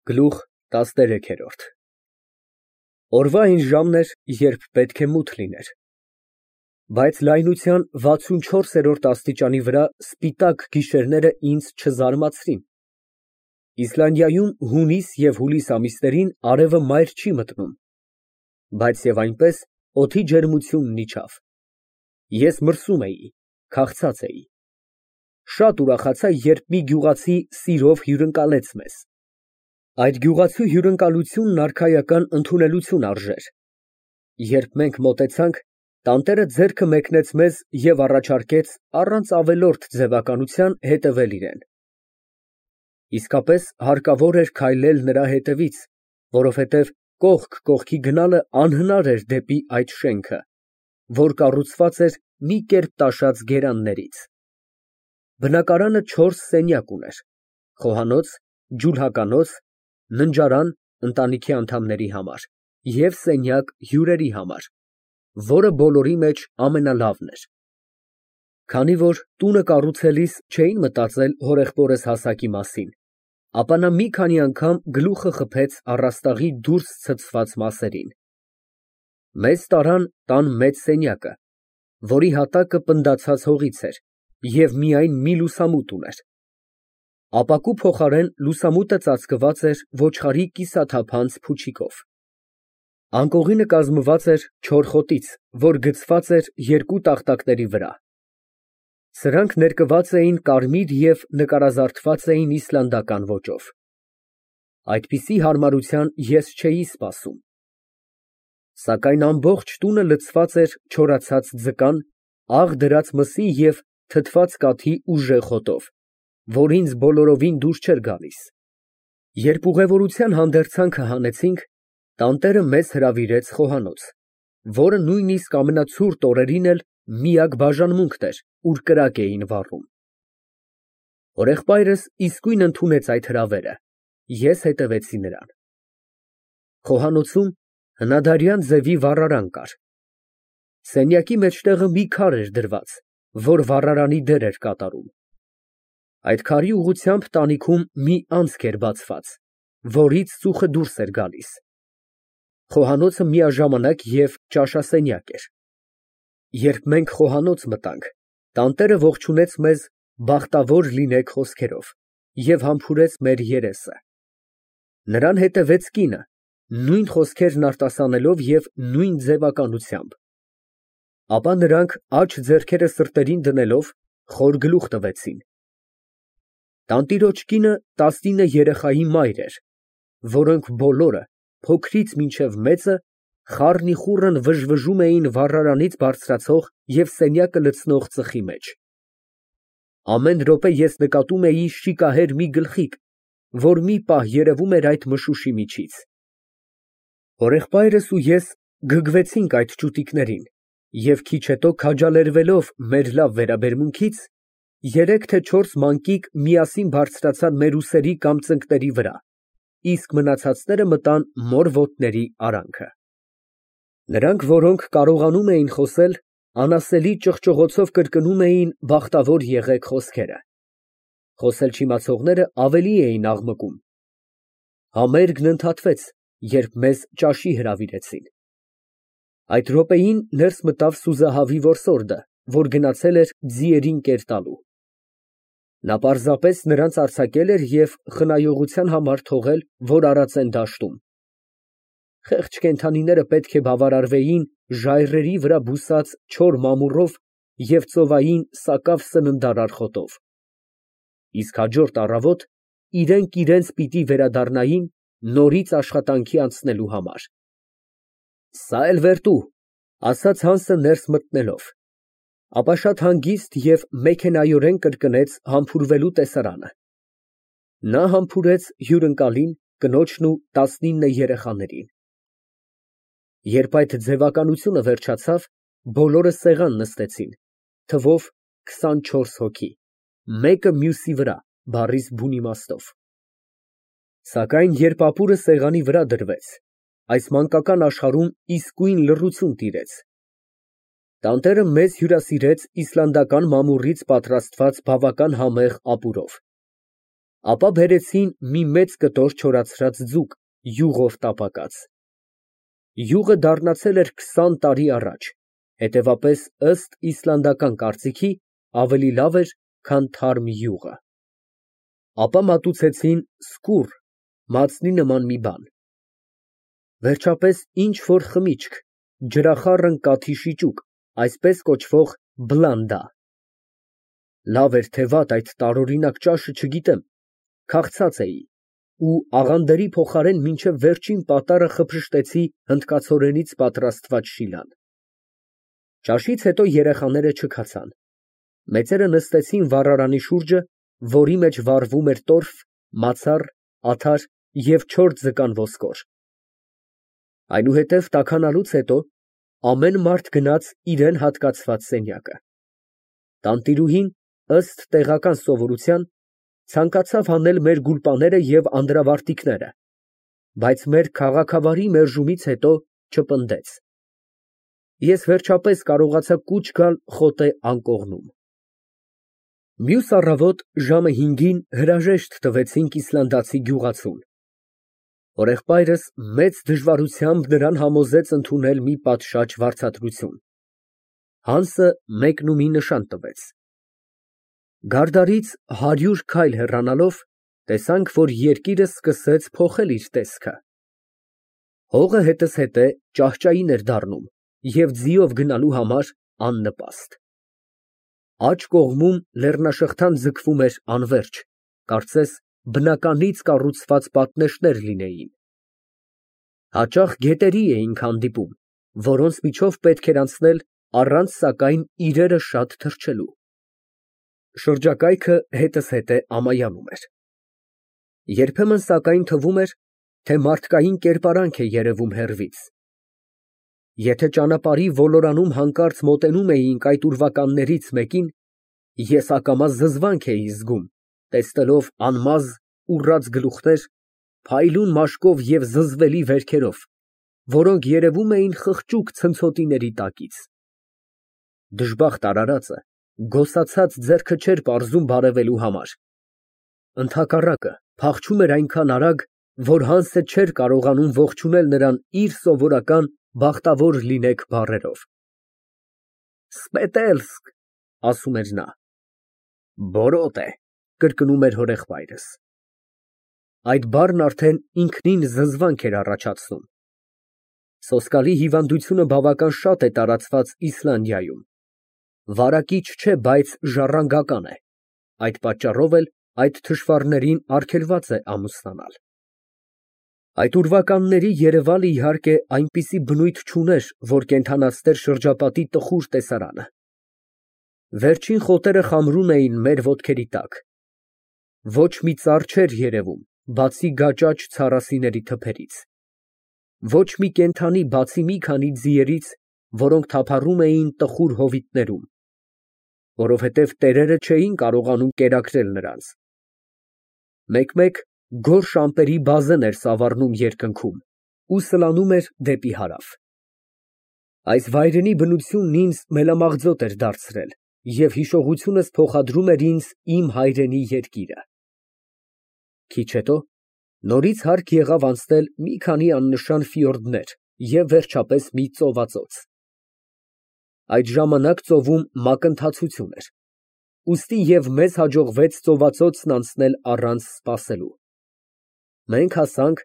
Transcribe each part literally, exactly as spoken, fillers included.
Գլուխ տասներեք։ Օրվա այն ժամն էր, երբ պետք է մութ լիներ, բայց լայնության վաթսունչորսերորդ աստիճանի վրա սպիտակ գիշերները ինձ չզարմացրին։ Իսլանդիայում հունիս և հուլիս ամիսներին արևը մայր չի մտնում, բայց և այնպես օդի ջերմությունն իջավ։ Ես մրսում էի, քաղցած էի։ Շատ ուրախացա, երբ մի գյուղացի սիրով հյուրընկալեց մեզ։ Այդ գյուղացու հյուրընկալությունն արքայական ընդունելություն արժեր։ Երբ մենք մոտեցանք, տանտերը ձեռքը մեկնեց մեզ և առաջարկեց առանց ավելորդ ձևականության հետևել իրան։ Իսկապես հարկավոր էր քայլել նրա հետևից, որովհետև կողք կողքի գնալը անհնար էր դեպի այդ շենքը, որ կառուցված էր մի կերպ տաշած գերաններից։ Բնակարանը չորս սենյակ ուներ, խոհանոց, ջուլհականոց, ննջարան ընտանիքի անդամների համար և սենյակ հյուրերի համար, որը բոլորի մեջ ամենալավն էր։ Քանի որ տունը կառուցելիս չէին մտածել հորեղբորս հասակի մասին, ապա նա մի քանի անգամ գլուխը խփեց առաստաղի դուրս ցցված մասերին։ Մեզ տարան տան մեծ սենյակը, որի հատակը պնդացած հողից էր և միայն մի լուսամուտ ուներ։ Ապակու փոխարեն լուսամուտը ծածկված էր ոչխարի կիսաթափանց փուչիկով։ Անկողինը կազմված էր չոր խոտից, որ գցված էր երկու տախտակների վրա։ Սրանք ներկված էին կարմիր և նկարազարդված էին իսլանդական ոճով։ Այդպիսի հարմարության ես չէի սպասում։ Սակայն ամբողջ տունը լցված էր չորացած ձկան, աղ դրած մսի և թթված կաթի ուժեղ հոտով, որ ինձ բոլորովին դուր չէր գալիս։ Երբ ուղևորության հանդերձանքը հանեցինք, տանտերը մեզ հրավիրեց խոհանոց, որը նույնիսկ ամենացուրտ օրերին էլ միակ բաժանմունքն էր, ուր կրակ էին վառում։ Հորեղբայրս իսկույն ընդունեց այդ հրավերը, ես հետևեցի նրան։ Խոհանոցում հնադարյան ձևի վառարան կար։ Սենյակի մեջտեղը մի քար էր դրված, որ վառարանի դեր էր կատարում։ Այդ քարի ուղղությամբ տանիքում մի անցք էր բացված, որից ծուխը դուրս էր գալիս։ Խոհանոցը միաժամանակ և ճաշասենյակ էր։ Երբ մենք խոհանոց մտանք, տանտերը ողջունեց մեզ «Բախտավոր լինեք» խոսքերով և համբուրեց մեր երեսը։ Նրան հետևեց կինը, նույն խոսքերն արտասանելով և նույն ձևականությամբ։ Ապա նրանք, աջ ձեռքերը սրտերին դնելով, խոր գլուխ տվեցին։ Տանտիրոջ կինը տասնինը երեխայի մայր էր, որոնք բոլորը, փոքրից մինչև մեծը, խառնիխուռն վժվժում էին վառարանից բարձրացող և սենյակը լցնող ծխի մեջ։ Ամեն րոպե ես նկատում էի շիկահեր մի գլխիկ, որ մի պահ երևում էր այդ մշուշի միջից։ Հորեղբայրս ու ես գգվեցինք այդ ճուտիկներին և քիչ հետո քաջալերվելով մեր լավ վերաբերմունքից, երեք թե չորս մանկիկ միասին բարձրացան մեր ուսերի կամ ծնկների վրա, իսկ մնացածները մտան մոր ոտների արանքը։ Նրանք, որոնք կարողանում էին խոսել, անասելի ճղճղոցով կրկնում էին «Բախտավոր եղեք» խոսքերը։ Խոսել չիմացողները ավելի էին աղմկում։ Համերգն ընդհատվեց, երբ մեզ ճաշի հրավիրեցին։ Այդ րոպեին ներս մտավ սուզահավի որսորդը, որ գնացել էր ձիերին կեր տալու։ Նա պարզապես նրանց արձակել էր և խնայողության համար թողել, որ արածեն դաշտում։ Խեղճ կենդանիները պետք է բավարարվեին ժայռերի վրա բուսած չոր մամուռով և ծովային սակավ սննդարար խոտով։ Իսկ հաջորդ առավոտ իրենք իրենց պիտի վերադառնային նորից աշխատանքի անցնելու համար։ ֊ Սա էլ վերտու, ֊ ասաց Հանսը ներս մտնելով, ապա շատ հանգիստ և մեքենայորեն կրկնեց համբուրվելու տեսարանը։ Նա համբուրեց հյուրընկալին, կնոջն ու տասնինը երեխաներին։ Երբ այդ ձևականությունը վերջացավ, բոլորը սեղան նստեցին, թվով քսանչորս հոգի, մեկը մյուսի վրա, բառիս բուն իմաստով։ Սակայն երբ ապուրը սեղանի վրա դրվեց, այս մանկական աշխարհում իսկույն լռություն տիրեց։ Տանտերը մեզ հյուրասիրեց իսլանդական մամուռից պատրաստված բավական համեղ ապուրով։ Ապա բերեցին մի մեծ կտոր չորացրած ձուկ, յուղով տապակած։ Յուղը դառնացել էր քսան տարի առաջ, հետևապես, ըստ իսլանդական կարծիքի, ավելի լավ էր, քան թարմ յուղը։ Ապա մատուցեցին սկուռ, մածնի նման մի բան։ Վերջապես ինչ֊որ խմիչք, ջրախառն կաթի շիճուկ, այսպես կոչվող բլանդա։ Լավ էր թե վատ այդ տարօրինակ ճաշը չգիտեմ, քաղցած էի ու աղանդերի փոխարեն մինչև վերջին պատառը խփշտեցի հնդկացորենից պատրաստված շիլան։ Ճաշից հետո երեխաները չքացան։ Մեծերը նստեցին վառարանի շուրջը, որի մեջ վառվում էր տորֆ, մացառ, աթար և չոր ձկան ոսկոր։ Այնուհետև տաքանալուց հետո ամեն մարդ գնաց իրան հատկացված սենյակը։ Տանտիրուհին, ըստ տեղական սովորության, ցանկացավ հանել մեր գուլպաները և անդրավարտիքները, բայց մեր քաղաքավարի մերժումից հետո չպնդեց։ Ես վերջապես կարողացա կուչ գալ խոտե անկողնում։ Մյուս առավոտ ժամը հինգին հրաժեշտ տվեցինք իսլանդացի գյուղացուն։ Հորեղբայրս մեծ դժվարությամբ նրան համոզեց ընդունել մի պատշաճ վարձատրություն։ Հանսը մեկնումի նշան տվեց։ Գարդարից հարյուր քայլ հեռանալով, տեսանք, որ երկիրը սկսեց փոխել իր տեսքը։ Հողը հետզհետե ճահճային էր դառնում և ձիով գնալու համար աննպաստ։ Աջ կողմում լեռնաշղթան ձգվում էր անվերջ, կարծես բնականից կառուցված պատնեշներ լինեին։ Հաճախ գետերի էինք հանդիպում, որոնց միջով պետք էր անցնել առանց, սակայն, իրերը շատ թռչելու։ Շրջակայքը հետզհետե ամայանում էր։ Երբեմն, սակայն, թվում էր, թե մարդկային կերպարանք է երևում հեռվից։ Եթե ճանապարհի ոլորանում հանկարծ մոտենում էինք այդ ուրվականներից մեկին, ես ակամա զզվանք էի զգում, տեսնելով անմազ, ուռած գլուխներ, փայլուն մաշկով և զզվելի վերքերով, որոնք երևում էին խղճուկ ցնցոտիների տակից։ Դժբախտ արարածը գոսացած ձեռքը չէր պարզում բարևելու համար։ Ընդհակառակը, փախչում էր այնքան արագ, որ Հանսը չէր կարողանում ողջունել նրան իր սովորական «բախտավոր լինեք» բառերով։ «Սպետելսկ», ասում էր նա։ «Բորոտե», կրկնում էր հորեղբայրս։ Այդ բառն արդեն ինքնին զզվանք էր առաջացնում։ Սոսկալի հիվանդությունը բավական շատ է տարածված Իսլանդիայում։ Վարակիչ չէ, բայց ժառանգական է, այդ պատճառով էլ այդ թշվառներին արգելված է ամուսնանալ։ Այդ ուրվականների երևալը, իհարկե, այնպիսի բնույթ չուներ, որ կենդանացներ շրջապատի տխուր տեսարանը։ Վերջին խոտերը խամրում էին մեր ոտքերի տակ։ Ոչ մի ծառ չէր երևում, բացի գաճաճ ցառասիների թփերից։ Ոչ մի կենդանի, բացի մի քանի ձիերից, որոնք թափառում էին տխուր հովիտներում, որովհետև տերերը չէին կարողանում կերակրել նրանց։ Մեկ֊մեկ գորշ ամպերի բազեն էր սավառնում երկնքում ու սլանում էր դեպի հարավ։ Այս վայրենի բնությունն ինձ մելամաղձոտ էր դարձրել և հիշողությունս փոխադրում էր ինձ իմ հայրենի երկիրը։ Քիչ հետո նորից հարկ եղավ անցնել մի քանի աննշան ֆիորդներ և վերջապես մի ծովածոց։ Այդ ժամանակ ծովում մակընթացություն էր, ուստի և մեզ հաջողվեց ծովածոցն անցնել առանց սպասելու։ Մենք հասանք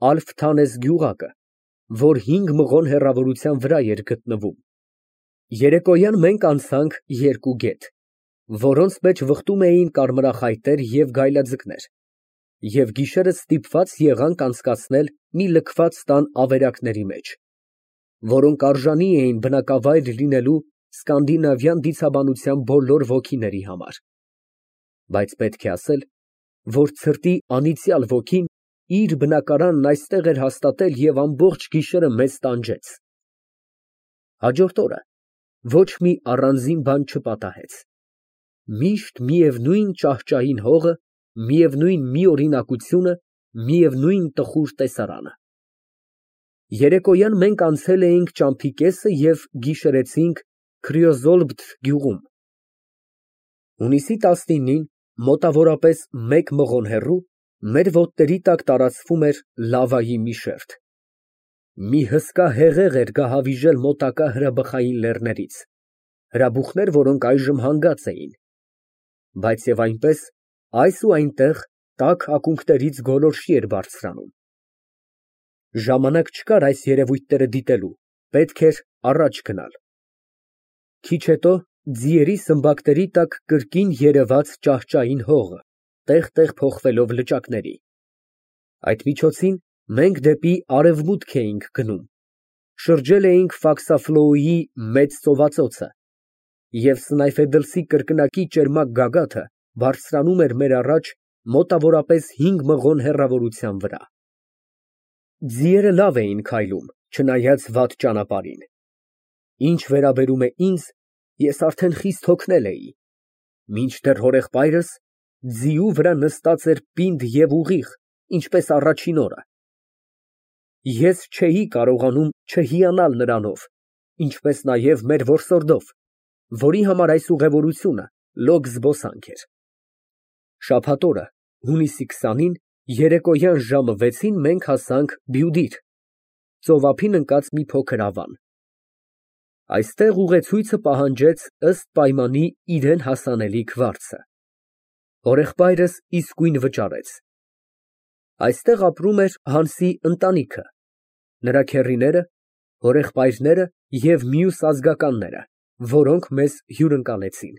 Ալֆթանես գյուղակը, որ հինգ մղոն հեռավորության վրա էր գտնվում։ Երեկոյան մենք անցանք երկու գետ, որոնց մեջ վխտում էին կարմրախայտեր և գայլաձկներ, և գիշերը ստիպված եղանք անցկացնել մի լքված տան ավերակների մեջ, որոնք արժանի էին բնակավայր լինելու սկանդինավյան դիցաբանության բոլոր ոգիների համար։ Բայց պետք է ասել, որ ցրտի անիծյալ ոգին իր բնակարանն այստեղ էր հաստատել և ամբողջ գիշերը մեզ տանջեց։ Հաջորդ օրը ոչ մի առանձին բան չպատահեց։ Միշտ միևնույն ճահճային հողը, միևնույն միօրինակությունը, միևնույն տխուր տեսարանը։ Երեկոյան մենք անցել էինք ճամփի կեսը և գիշերեցինք Քրիոզոլբթ գյուղում։ Հունիսի տասնինին մոտավորապես մեկ մղոն հեռու, մեր ոտների տակ տարածվում էր լավայի մի շերտ։ Մի հսկա հեղեղ էր գահավիժել մոտակա հրաբխային լեռներից, հրաբուխներ, որոնք այժմ հանգած էին, բայց և այնպես այս ու այնտեղ տաք ակունքներից գոլորշի էր բարձրանում։ Ժամանակ չկար այս երևույթները դիտելու, պետք էր առաջ գնալ։ Քիչ հետո ձիերի սմբակների տակ կրկին երևաց ճահճային հողը, տեղ֊տեղ փոխվելով լճակների։ Այդ միջոցին մենք դեպի արևմուտք էինք գնում, շրջել էինք Ֆաքսաֆլոուի մեծ ծովածոցը, և Սնայֆեդլսի կրկնակի ճերմակ գագաթը բարձրանում էր մեր առաջ մոտավորապես հինգ մղոն հեռավորության վրա։ Ձիերը լավ էին քայլում, չնայած վատ ճանապարհին։ Ինչ վերաբերում է ինձ, ես արդեն խիստ հոգնել էի, մինչդեռ հորեղբայրս ձիու վրա նստած էր պինդ և ուղիղ, ինչպես առաջին օրը։ Ես չէի կարողանում չհիանալ նրանով, ինչպես նաև մեր որսորդով, որի համար այս ուղևորությունը լոկ զբոսանք էր։ Շաբաթ օրը հունիսի քսանին, երեկոյան ժամը վեցին մենք հասանք Բյուդիր, ծովափին ընկած մի փոքր ավան։ Այստեղ ուղեցույցը պահանջեց ըստ պայմանի իրան հասանելիք վարձը։ Հորեղբայրս իսկույն վճարեց։ Այստեղ ապրում էր Հանսի ընտանիքը, նրա քեռիները, հորեղբայրները և մյուս ազգականները, որոնք մեզ հյուրընկալեցին։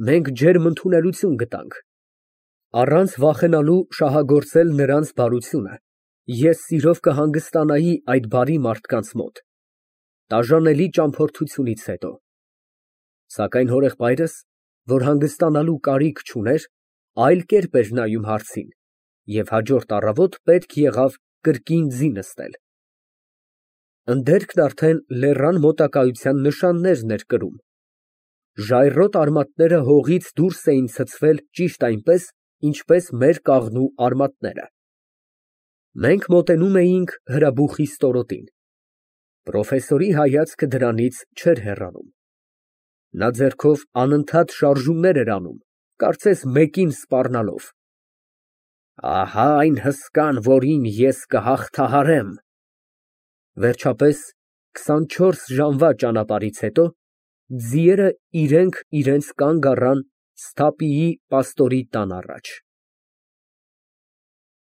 Մենք ջերմ ընդունելություն գտանք։ Առանց վախենալու շահագործել նրանց բարությունը, ես սիրով կհանգստանայի այդ բարի մարդկանց մոտ, տաժանելի ճամփորդությունից հետո։ Սակայն հորեղբայրս, որ հանգստանալու կարիք չուներ, այլ կերպ էր նայում հարցին, և հաջորդ առավոտ պետք եղավ կրկին ձի նստել։ Ընդերքն արդեն լեռան մոտակայության նշաններն էր կրում։ Ժայռոտ արմատները հողից դուրս էին ցցվել ճիշտ այնպես, ինչպես մեր կաղնու արմատները։ Մենք մոտենում էինք հրաբուխի ստորոտին։ Պրոֆեսորի հայացքը դրանից չէր հեռանում։ Նա ձեռքով անընդհատ շարժումներ էր անում, կարծես մեկին սպառնալով։ Ահա այն հսկան, որին ես կհաղթահարեմ։ Վերջապես, քսանչորս ժամվա ճանապարհից հետո, ձիերը իրենք իրենց կանգ առան Սթափիի պաստորի տան առաջ։